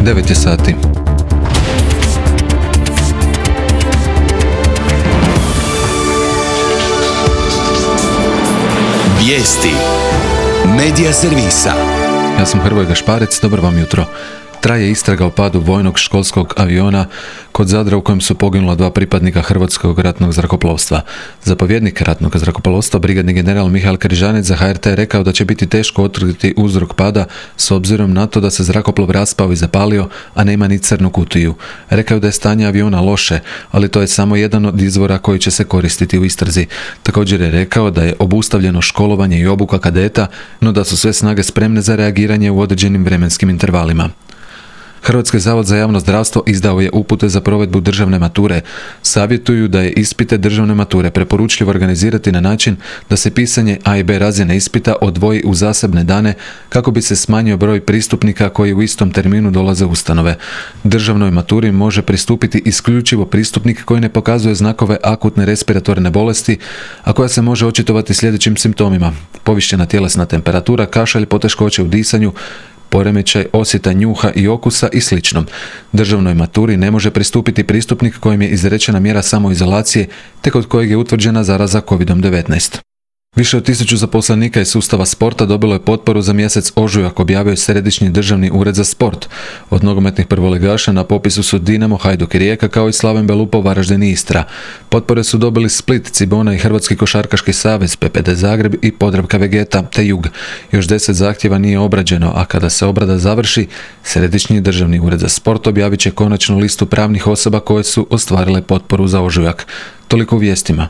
9 je sati. Vijesti Medija servisa. Ja sam Hrvoje Gašparec, dobro vam jutro. Traje istraga o padu vojnog školskog aviona kod Zadra u kojem su poginula 2 pripadnika Hrvatskog ratnog zrakoplovstva. Zapovjednik ratnog zrakoplovstva, brigadni general Mihael Križanec za HRT je rekao da će biti teško utvrditi uzrok pada s obzirom na to da se zrakoplov raspao i zapalio, a nema ni crnu kutiju. Rekao da je stanje aviona loše, ali to je samo jedan od izvora koji će se koristiti u istrazi. Također je rekao da je obustavljeno školovanje i obuka kadeta, no da su sve snage spremne za reagiranje u određenim vremenskim intervalima. Hrvatski zavod za javno zdravstvo izdao je upute za provedbu državne mature. Savjetuju da je ispite državne mature preporučljivo organizirati na način da se pisanje A i B razine ispita odvoji u zasebne dane kako bi se smanjio broj pristupnika koji u istom terminu dolaze u ustanove. Državnoj maturi može pristupiti isključivo pristupnik koji ne pokazuje znakove akutne respiratorne bolesti, a koja se može očitovati sljedećim simptomima: povišena tjelesna temperatura, kašalj, poteškoće u disanju, poremećaj osjeta njuha i okusa i sl. Državnoj maturi ne može pristupiti pristupnik kojem je izrečena mjera samoizolacije te kod kojeg je utvrđena zaraza COVID-19. Više od 1000 zaposlenika iz sustava sporta dobilo je potporu za mjesec ožujak, objavio je Središnji državni ured za sport. Od nogometnih prvoligaša na popisu su Dinamo, Hajduk i Rijeka, kao i Slaven Belupo, Varaždin i Istra. Potpore su dobili Split, Cibona i Hrvatski košarkaški savez, PPD Zagreb i Podravka Vegeta te Jug. Još 10 zahtjeva nije obrađeno, a kada se obrada završi, Središnji državni ured za sport objavit će konačnu listu pravnih osoba koje su ostvarile potporu za ožujak. Toliko u vijestima.